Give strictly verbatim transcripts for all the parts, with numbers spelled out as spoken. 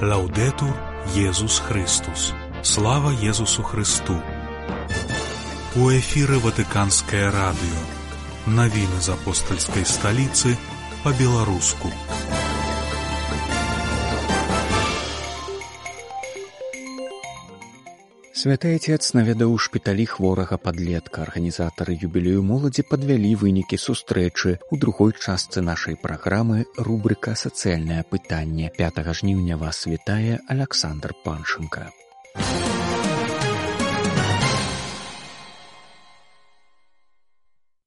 Лаўдэтур Езус Христус. Слава Езусу Христу. У эфіры Ватыканскае радыё. Навіны з апостальскай сталіцы па-беларуску. Святы Отец наведаў у шпіталі хворага падлетка. Арганізатары юбілею моладзі падвялі вынікі сустрэчы. У другой частцы нашай праграмы рубрыка «Сацыяльнае пытанне». пятага жніўня вас вітае Аляксандр Паншынка.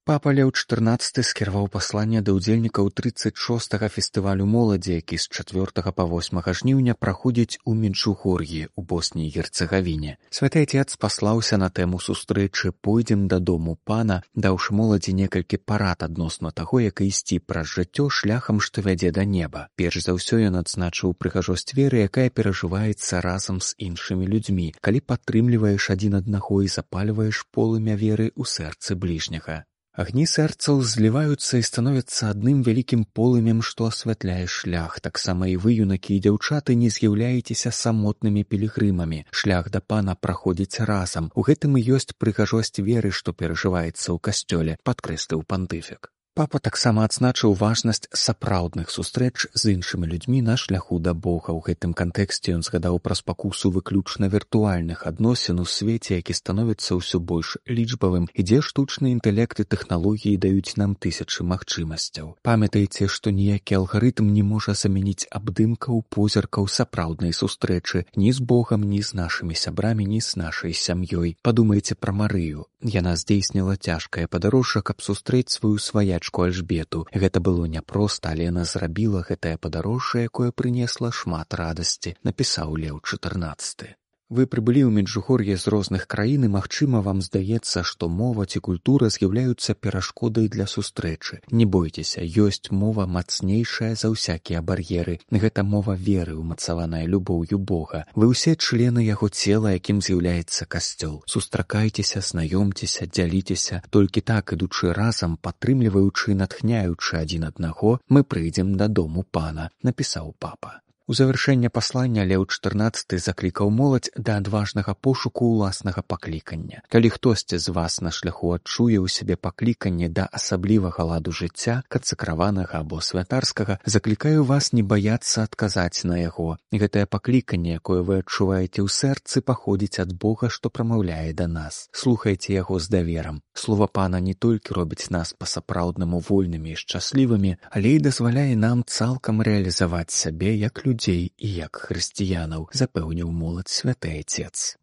Папа Леў чатырнаццаты скіраваў пасланне да ўдзельнікаў трыццаць шостага фестывалю моладзі, які з чацвёртага па восьмага жніўня праходзіць у Меджугор'і у Боснii і Герцагавіне. Святы Отец паслаўся на тэму сустрэчы «Пойдзем дадому пана», даўшы моладзі некалькі парад адносна таго, як ісці праз жыццё шляхам, што вядзе да неба. Перш за ўсё ён адзначыў прыгажосць веры, якая перажываецца разам з іншымі людзьмі, калі падтрымліваеш адзін аднаго і запальваеш полымя веры ў сэрцы бліжняга. Агні сэрцаў зліваюцца і становяцца адным вялікім полымем, што асвятляе шлях. Таксама і вы, юнакі і дзяўчаты, не з'яўляецеся самотнымі пілігрымамі. Шлях да пана праходзіць разам. У гэтым і ёсць прыгажосць веры, што перажываецца ў касцёле, падкрэсліў пантыфік. Папа таксама адзначыў важнасць сапраўдных сустрэч з іншымі людзьмі на шляху да Бога. У гэтым кантэксце ён згадаў пра спакусу выключна віртуальных адносін у свеце, які становіцца ўсё больш лічбавым, і дзе штучны інтэлект і тэхналогіі даюць нам тысячы магчымасцяў. Памятайце, што ніякі алгарытм не можа замяніць абдымкаў, позіркаў сапраўднай сустрэчы ні з Богам, ні з нашымі сябрамі, ні з нашай сям'ёй. Падумайце пра Марыю. Яна здзейсніла цяжкае падарожжа, каб сустрэць сваю сваячку Альжбету. Гэта было няпроста, але яна зрабіла гэтае падарожжа, якое прынесла шмат радасці, напісаў Леў чатырнаццаты. Вы прыбылі ў Меджугор'е з розных краін і, магчыма, вам здаецца, што мова ці культура з'яўляюцца перашкодай для сустрэчы. Не бойцеся, ёсць мова мацнейшая за ўсякія бар'еры. Гэта мова веры, умацаваная любоўю Бога. Вы ўсе члены яго цела, якім з'яўляецца касцёл. Сустракайцеся, знаёмцеся, дзяліцеся. Толькі так, ідучы разам, падтрымліваючы і натхняючы адзін аднаго, мы прыйдзем дадому пана, напісаў папа. У завяршэнне паслання Леў чатырнаццаты заклікаў моладзь да адважнага пошуку ўласнага паклікання. Калі хтосьці з вас на шляху адчуе ў сябе пакліканне да асаблівага ладу жыцця, кацакраванага або святарскага, заклікаю вас не баяцца адказаць на яго. Гэтае пакліканне, якое вы адчуваеце ў сэрцы, паходзіць ад Бога, што прамаўляе да нас. Слухайце яго з даверам. Слова пана не толькі робіць нас па-сапраўднаму вольнымі і шчаслівымі, але і дазваляе нам цалкам рэалізаваць сябе як людзей і як хрысціянаў, запэўніў моладзь Святы Отец.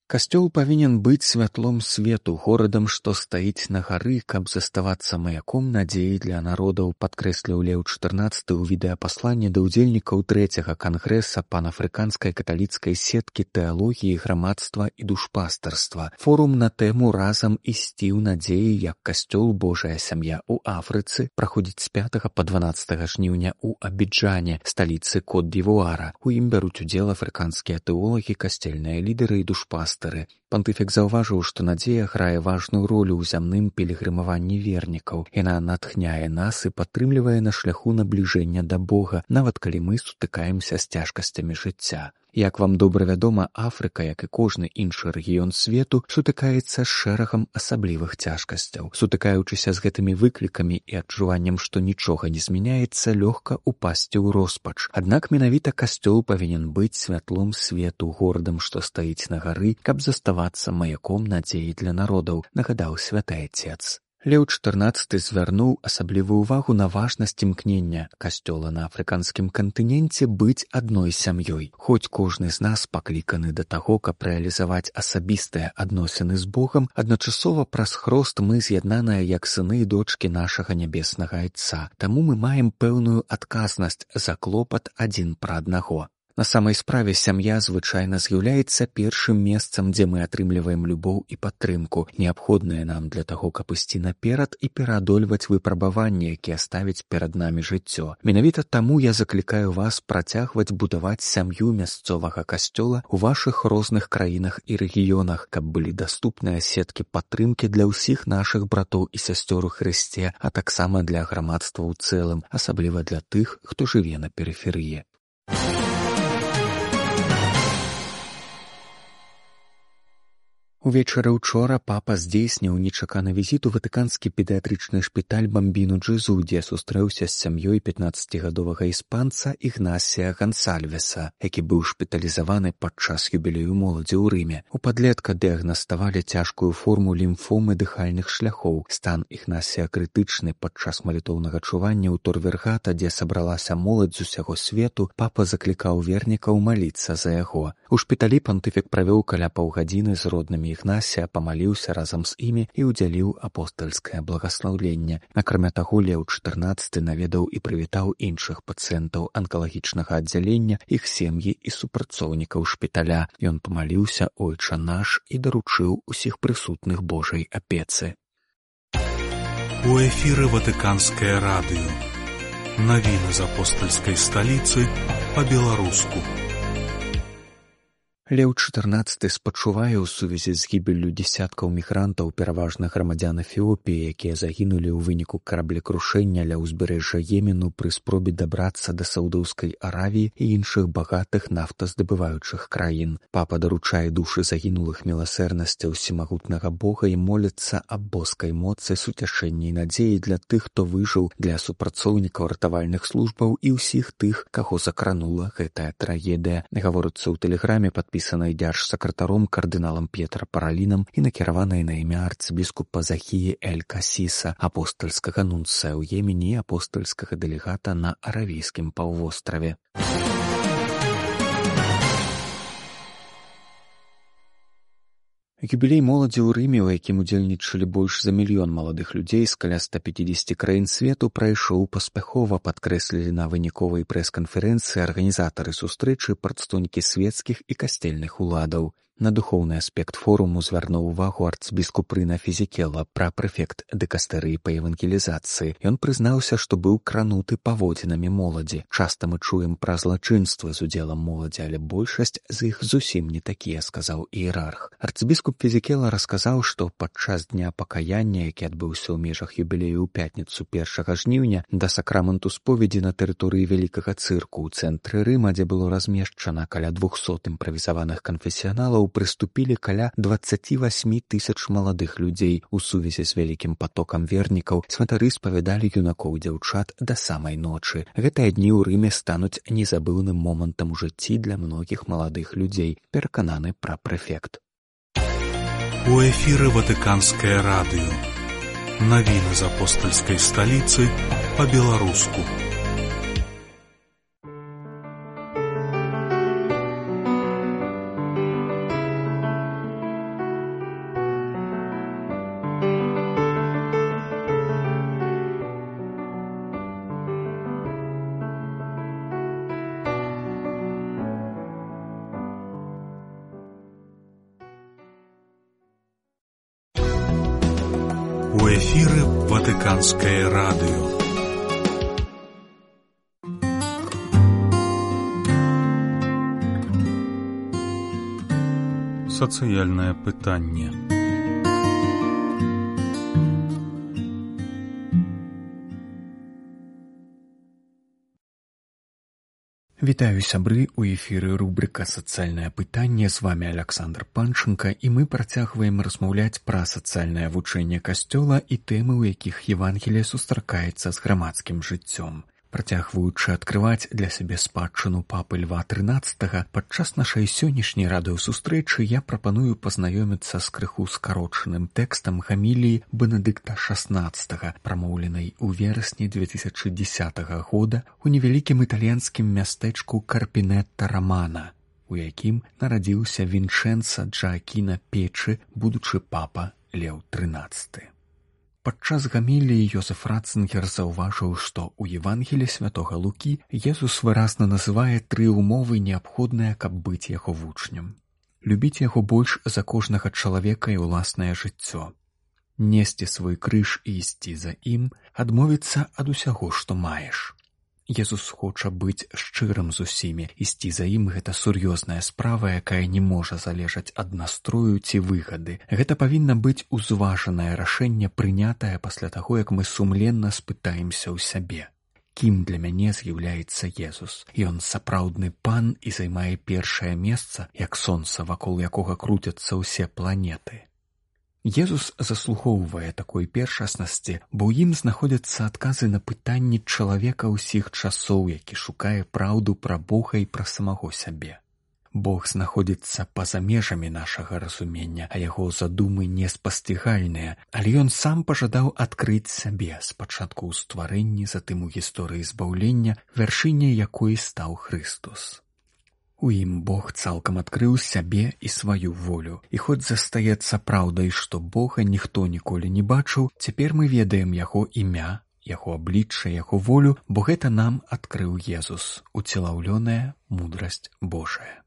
Касцёл павінен быць святлом свету, горадам, што стаіць на гары, каб заставацца маяком надзеі для народаў, падкрэсліў Леў чатырнаццаты ў відэапасланні да ўдзельнікаў трэцяга кангрэса панафрыканскай каталіцкай сеткі тэалогіі, грамадства і душпастарства. Форум на тэму «Разам ісці ў надзеі, як касцёл Божая сям'я ў Афрыцы» праходзіць з пятага па дванаццатага жніўня ў Абіджане, сталіцы Кот-д'Івуара. У ім бяруць удзел афрыканскія тэолагі, касцельныя лідары і душпастары. Пантыфік заўважыў, што надзея грае важную ролю ў зямным пілігрымаванні вернікаў. Яна натхняе нас і падтрымлівае на шляху набліжэння да Бога, нават калі мы сутыкаемся з цяжкасцямі жыцця. Як вам добра вядома, Афрыка, як і кожны іншы рэгіён свету, сутыкаецца з шэрагам асаблівых цяжкасцяў. Сутыкаючыся з гэтымі выклікамі і адчуваннем, што нічога не змяняецца, лёгка упасці ў роспач. Аднак менавіта касцёл павінен быць святлом свету, горадам, што стаіць на гары, каб заставацца маяком надзеі для народаў, нагадаў Святы Отец. Леў чатырнаццаты звярнуў асаблівую ўвагу на важнасць імкнення касцёла на афрыканскім кантыненце быць адной сям'ёй. Хоць кожны з нас пакліканы да таго, каб рэалізаваць асабістыя адносіны з Богам, адначасова праз хрост мы з'яднаныя як сыны і дочкі нашага нябеснага Айца. Таму мы маем пэўную адказнасць за клопат адзін пра аднаго. На самай справе сям'я звычайна з'яўляецца першым месцам, дзе мы атрымліваем любоў і падтрымку, неабходныя нам для таго, каб ісці наперад і пераадольваць выпрабаванні, якія ставіць перад намі жыццё. Менавіта таму я заклікаю вас працягваць будаваць сям'ю мясцовага касцёла ў вашых розных краінах і рэгіёнах, каб былі даступныя сеткі падтрымкі для ўсіх нашых братоў і сясцёр у Хрысце, а таксама для грамадства ў цэлым, асабліва для тых, хто жыве на перыферыі. Увечары учора папа здзейсніў нечаканы візіт у ватыканскі педыятрычны шпіталь Бамбіну Джезу, дзе сустрэўся з сям'ёй пятнаццацігадовага іспанца Ігнасія Гансальвеса, які быў шпіталізаваны падчас юбілею моладзі ў Рыме. У падлетка дыягнаставалі цяжкую форму лімфомы дыхальных шляхоў. Стан Ігнасія крытычны. Падчас малітоўнага чування ў Торвергата, дзе сабралася моладзь з усяго свету, папа заклікаў вернікаў маліцца за яго. У шпіталі пантыфік правёў каля паўгадзіны з роднымі Ігнасія, памаліўся разам з імі і ўдзяліў апостальскае благаслаўленне. Акрамя таго, Леў чатырнаццаты наведаў і прывітаў іншых пацыентаў анкалагічнага аддзялення, іх сем'і і супрацоўнікаў шпіталя. Ён памаліўся «Ойча наш» і даручыў усіх прысутных Божай апецы. У эфіры Ватыканскае радыё. Навіны з апостальскай сталіцы па-беларуску. Леў чатырнаццаты спачувае ў сувязі з гібеллю дзесяткаў мігрантаў, пераважна грамадзян Эфіопіі, якія загінулі ў выніку караблекрушэння ля ўзбярэжжа Йемену пры спробе дабрацца да Саўдаўскай Аравіі і іншых багатых нафтаздабываючых краін. Папа даручае душы загінулых міласэрнасці ўсемагутнага Бога і моліцца аб боскай моцы, суцяшэнні і надзеі для тых, хто выжыў, для супрацоўнікаў ратавальных службаў і ўсіх тых, каго закранула гэтая трагедыя. Гаворыцца ў тэлеграме падпісанай пісанай дзяржсакратаром кардыналам П'етра Паралінам і накіраванай на імя арцыбіскупа Захіі Эль-Касіса, апостальскага нунцыя ў Йемене і апостальскага дэлегата на Аравійскім паўвостраве. Юбілей моладзі ў Рыме, у якім удзельнічалі больш за мільён маладых людзей з каля ста пяцідзесяці краін свету, прайшоў паспяхова, падкрэслілі на выніковай прэс-канферэнцыі арганізатары сустрэчы, прадстаўнікі свецкіх і касцельных уладаў. На духоўны аспект форуму звярнуў увагу арцыбіскуп Рына Фізікела, пра-прэфект дыкастэрыі па евангелізацыі. Ён прызнаўся, што быў крануты паводзінамі моладзі. Часта мы чуем пра злачынствы з удзелам моладзі, але большасць з іх зусім не такія, сказаў іерарх. Арцыбіскуп Фізікела расказаў, што падчас дня пакаяння, які адбыўся ў межах юбілею ў пятніцу першага жніўня, да сакраменту споведзі на тэрыторыі вялікага цырку ў цэнтры Рыма, дзе было размешчана каля двухсот імправізаваных канфесіяналаў, прыступілі каля дваццаці васьмі тысяч маладых людзей. У сувязі з вялікім патокам вернікаў святары спавядалі юнакоў і дзяўчат да самай ночы. Гэтыя дні ў Рыме стануць незабыўным момантам у жыцці для многіх маладых людзей, перакананы пра-прэфект. У эфіры Ватыканскае радыё. Навіны з апостальскай сталіцы па-беларуску. У эфіры Ватыканскае радыё. Сацыяльнае пытанне. Вітаю, сябры, у эфіры рубрика «Сацыяльнае пытанне». З вами Александр Панченко, і мы працягваем размаўляць пра сацыяльнае вучэнне Касцёла і тэмы, у якіх Евангелие сустракаецца з грамадскім жыццём. Працягваючы адкрываць для сябе спадчыну папы Льва трынаццатага, падчас нашай сённяшняй радыёсустрэчы я прапаную пазнаёміцца з крыху скарочаным тэкстам гаміліі Бенедыкта шаснаццатага, прамоўленай у верасні две тысячы дзесятага года у невялікім італьянскім мястэчку Карпінетта-Рамана, у якім нарадзіўся Вінчэнца Джаакіна Печы, будучы папа Леў трынаццаты. Падчас гаміліі Йозеф Ратцынгер заўважыў, што ў Евангелі святога Лукі Езус выразна называе тры ўмовы, неабходныя, каб быць яго вучнем. Любіць яго больш за кожнага чалавека і ўласнае жыццё. Несці свой крыж і ісці за ім, адмовіцца ад усяго, што маеш. Езус хоча быць шчырым з усімі, ісці за ім гэта сур'ёзная справа, якая не можа залежаць ад настрою ці выгады. Гэта павінна быць узважанае рашэнне, прынятае пасля таго, як мы сумленна спытаемся ў сябе. Кім для мяне з'яўляецца Езус? Ён сапраўдны пан і займае першае месца, як сонца, вакол якога круцяцца ўсе планеты. Езус заслугоўвае такой першаснасці, бо ў ім знаходзяцца адказы на пытанні чалавека ўсіх часоў, які шукае праўду пра Бога і пра самого сябе. Бог знаходзіцца па-за межамі нашага разумення, а яго задумы неспасцігальныя, але ён сам пажадаў адкрыць сябе, спачатку ў стварэнні, затым у гісторыі збаўлення, вяршыняй якой стаў Хрыстус. У ім Бог цалкам адкрыў сябе і сваю волю. І хоць застаецца праўдай, што Бога ніхто ніколі не бачыў, цяпер мы ведаем яго імя, яго аблічча, яго волю, бо гэта нам адкрыў Езус, уцелаўлёная мудрасць Божая.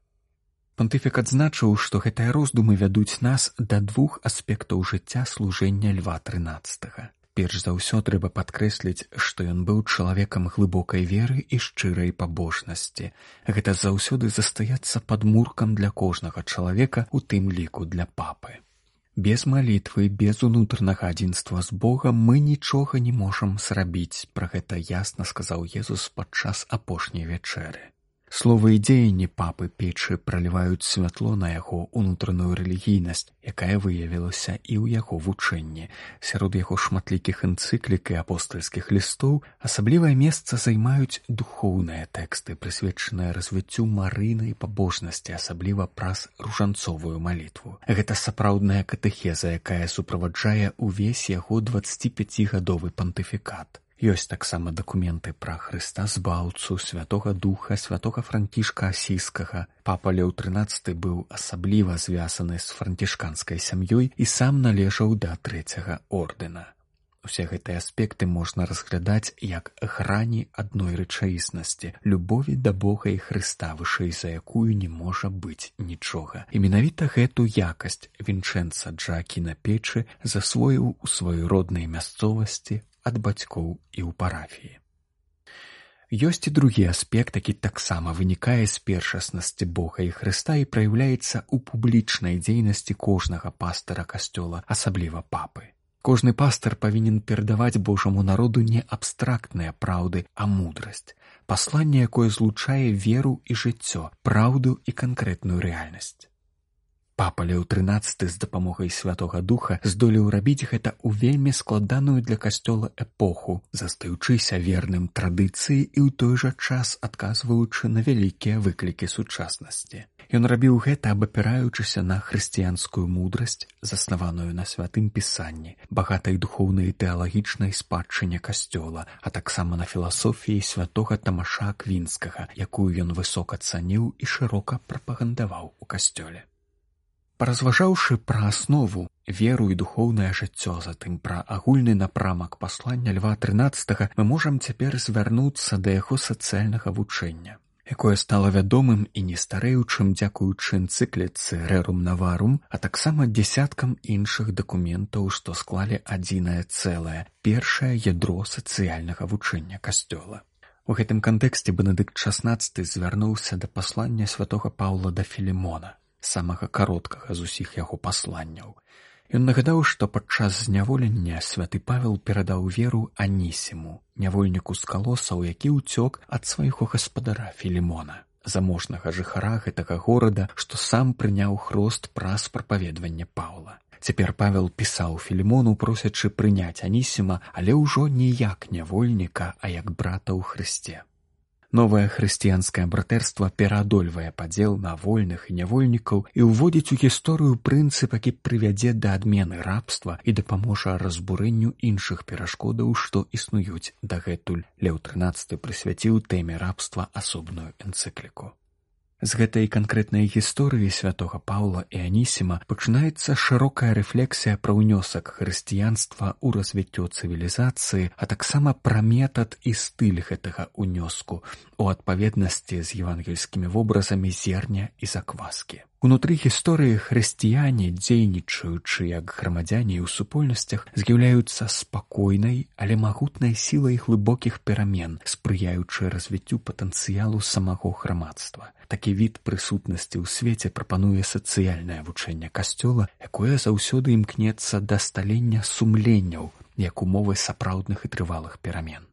Пантыфік адзначыў, што гэтыя роздумы вядуць нас да двух аспектаў жыцця служэння Льва трынаццатага. Перш за ўсё трэба падкрэсліць, што ён быў чалавекам глыбокай веры і шчырай пабожнасці. Гэта заўсёды застаецца падмуркам для кожнага чалавека, у тым ліку для папы. Без малітвы, без унутранага адзінства з Богам мы нічога не можам зрабіць, пра гэта ясна сказаў Езус падчас апошняй вячэры. Словы і дзеянні папы Печы праліваюць святло на яго унутраную рэлігійнасць, якая выявілася і ў яго вучэнні. Сярод яго шматлікіх энцыклік і апостальскіх лістоў асаблівае месца займаюць духоўныя тэксты, прысвечаныя развіццю марыйнай пабожнасці, асабліва праз ружанцовую малітву. Гэта сапраўдная катэхеза, якая суправаджае ўвесь яго дваццаціпяцігадовы пантыфікат. Ёсць таксама дакументы пра Хрыста Збаўцу, Святога Духа, святога Франкішка Асійскага. Папа Леў трынаццаты быў асабліва звязаны з францішканскай сям'ёй і сам належаў да трэцяга ордэна. Усе гэтыя аспекты можна разглядаць як грані адной рэчаіснасці, любові да Бога і Хрыста, вышэй за якую не можа быць нічога. І менавіта гэту якасць Вінчэнца Джаакіна Печы засвоіў у сваёй роднай мясцовасці ад бацькоў і ў парафіі. Ёсць і другі аспект, які таксама вынікае з першаснасці Бога і Хрыста і праяўляецца ў публічнай дзейнасці кожнага пастара касцёла, асабліва папы. Кожны пастар павінен перадаваць Божаму народу не абстрактныя праўды, а мудрасць, пасланне, якое злучае веру і жыццё, праўду і канкрэтную рэальнасць. Папа Леў трынаццаты з дапамогай Святога Духа здолеў рабіць гэта ў вельмі складаную для касцёла эпоху, застаючыся верным традыцыі і ў той жа час адказваючы на вялікія выклікі сучаснасці. Ён рабіў гэта, абапіраючыся на хрысціянскую мудрасць, заснаваную на святым пісанні, багатай духоўнай і тэалагічнай спадчыне касцёла, а таксама на філасофіі святога Тамаша Аквінскага, якую ён высока цаніў і шырока прапагандаваў у касцёле. Паразважаўшы пра аснову, веру і духоўнае жыццё, затым пра агульны напрамак паслання Льва трынаццатага, мы можам цяпер звярнуцца да яго сацыяльнага вучэння, якое стала вядомым і не старэючым дзякуючы энцыкліцы «Рерум Наварум», а таксама дзясяткам іншых дакументаў, што склалі адзінае цэлае, першае ядро сацыяльнага вучэння касцёла. У гэтым кантэксце Бенедыкт шаснаццаты звярнуўся да паслання святога Паўла да Філімона, самага кароткага з усіх яго пасланняў. Ён нагадаў, што падчас зняволення святы Павел перадаў веру Анісіму, нявольніку з Калосаў, які ўцёк ад свайго гаспадара Філімона, заможнага жыхара гэтага горада, што сам прыняў хрост праз прапаведванне Паўла. Цяпер Павел пісаў Філімону, просячы прыняць Анісіма, але ўжо не як нявольніка, а як брата ў Хрысце. Новае хрысціянскае братэрства пераадольвае падзел на вольных і нявольнікаў і ўводзіць у гісторыю прынцып, які прывядзе да адмены рабства і дапаможа разбурэнню іншых перашкодаў, што існуюць дагэтуль. Леў трынаццаты прысвяціў тэме рабства асобную энцыкліку. З гэтай канкрэтнай гісторыі святога Паўла і Анісіма пачынаецца шырокая рэфлексія пра ўнёсак хрысціянства ў развіццё цывілізацыі, а таксама пра метад і стыль гэтага ўнёску у адпаведнасці з евангельскімі вобразамі зерня і закваскі. Унутры гісторыі хрысціяне, дзейнічаючы як грамадзяне ў супольнасцях, з'яўляюцца спакойнай, але магутнай сілай глыбокіх перамен, спрыяючы развіццю патэнцыялу самого грамадства. Такі від прысутнасці ў свеце прапануе сацыяльнае вучэнне Касцёла, якое заўсёды імкнецца да сталення сумленняў, як умовы сапраўдных і трывалых перамен.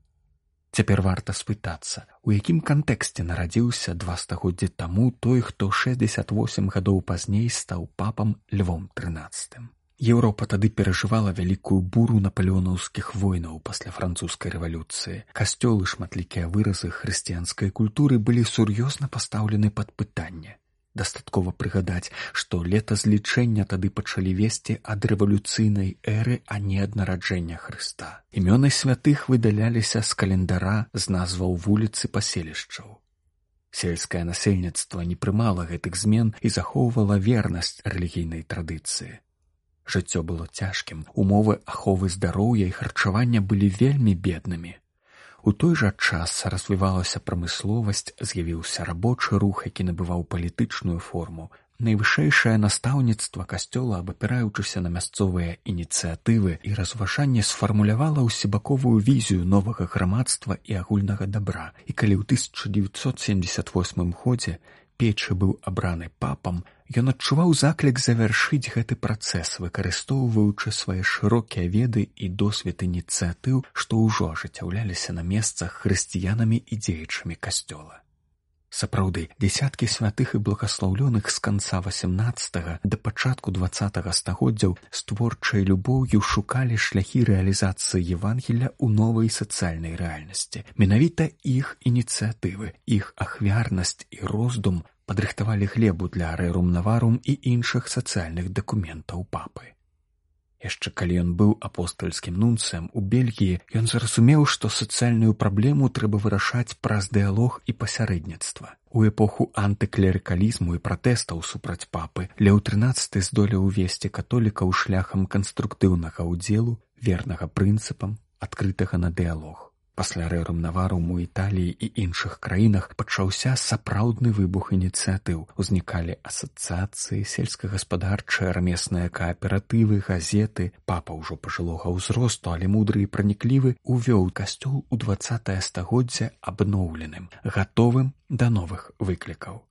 Цяпер варта спытацца, у якім кантэксце нарадзіўся два стагоддзі таму той, хто шэсцьдзесят восем гадоў пазней стаў папам Львом трынаццатым. Еўропа тады перажывала вялікую буру напалеонаўскіх войнаў пасля французскай рэвалюцыі. Касцёл і шматлікія выразы хрысціянскай культуры былі сур'ёзна пастаўлены пад пытанне. Дастаткова прыгадаць, што летазлічэння тады пачалі весці ад рэвалюцыйнай эры, а не ад нараджэння Хрыста. Імёны святых выдаляліся з календара з назваў вуліц і паселішчаў. Сельскае насельніцтва не прымала гэтых змен і захоўвала вернасць рэлігійнай традыцыі. Жыццё было цяжкім, умовы аховы здароўя і харчавання былі вельмі беднымі. У той жа час развівалася прамысловасць, з'явіўся рабочы рух, які набываў палітычную форму. Найвышэйшае настаўніцтва Касцёла, абапіраючыся на мясцовыя ініцыятывы і разважанне, сфармулявала ўсебаковую візію новага грамадства і агульнага дабра. І калі ў тысяча дзевяцьсот семьдесят восьмым годзе Печы быў абраны папам, ён адчуваў заклік завяршыць гэты працэс, выкарыстоўваючы свае шырокія веды і досвед ініцыятыў, што ўжо ажыццяўляліся на месцах хрысціянамі і дзеячамі Касцёла. Сапраўды, дзесяткі святых і благаслаўлёных з канца васямнаццатага да пачатку дваццатага стагоддзяў з творчай любоўю шукалі шляхі рэалізацыі Евангелля ў новай сацыяльнай рэальнасці. Менавіта іх ініцыятывы, іх ахвярнасць і роздум падрыхтавалі глебу для рэrum novarum і іншых сацыяльных дакументаў папы. Яшчэ калі ён быў апостальскім нунцыем у Бельгіі, ён зразумеў, што сацыяльную праблему трэба вырашаць праз дыялог і пасярэдніцтва. У эпоху антыклерыкалізму і пратэстаў супраць папы Леў трынаццаты здолеў увесці католікаў шляхам канструктыўнага ўдзелу, вернага прынцыпам, адкрытага на дыялог. Пасля рэrum novarum у Італіі і іншых краінах пачаўся сапраўдны выбух ініцыятыў. Узнікалі асацыяцыі, сельскагаспадарчыя, рамесныя кааператывы, газеты. Папа ўжо пажылога ўзросту, але мудры і праніклівы, увёў Касцёл у дваццатае стагоддзе абноўленым, гатовым да новых выклікаў.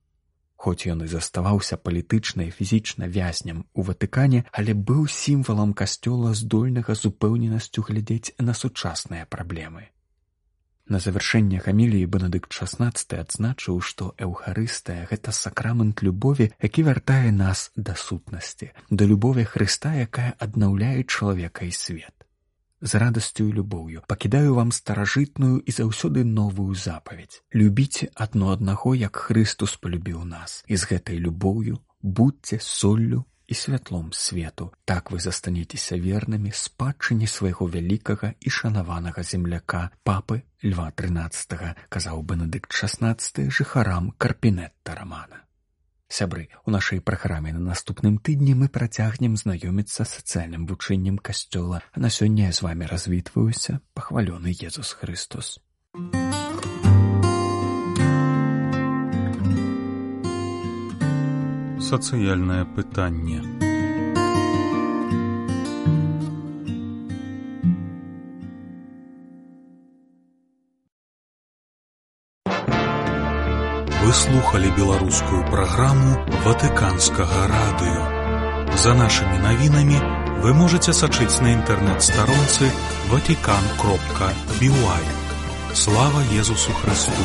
Хоць ён і заставаўся палітычна і фізічна вязням у Ватыкане, але быў сімвалам Касцёла, здольнага з упэўненасцю глядзець на сучасныя праблемы. На завяршэнне гаміліі Бенедыкт шаснаццаты адзначыў, што Эўхарыстыя – гэта сакрамент любові, які вяртае нас да сутнасці, да любові Хрыста, якая аднаўляе чалавека і свет. З радасцю і любоўю пакідаю вам старажытную і заўсёды новую запаведь. Любіце адно аднаго, як Хрыстус полюбіў нас, і з гэтай любоўю будзьце соллю і святлом свету. Так вы застанецеся вернымі спадчыне свайго вялікага і шанаванага земляка, папы Льва трынаццатага, казаў Бенедыкт шаснаццаты жыхарам Карпінетта Рамана. Сябры, у нашай праграме на наступным тыдні мы працягнем знаёміцца з сацыяльным вучэннем Касцёла, а на сёння я з вамі развітваюся, пахвалёны Езус Хрыстос. Сацыяльнае пытанне. Вы слухали беларускую праграму Ватыканскага радыё. За нашымі навінамі вы можаце сачыць на інтэрнэт-старонцы ватикан кропка би уай. Слава Езусу Христу!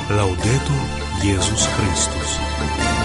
Лаўдэтур Езус Христус!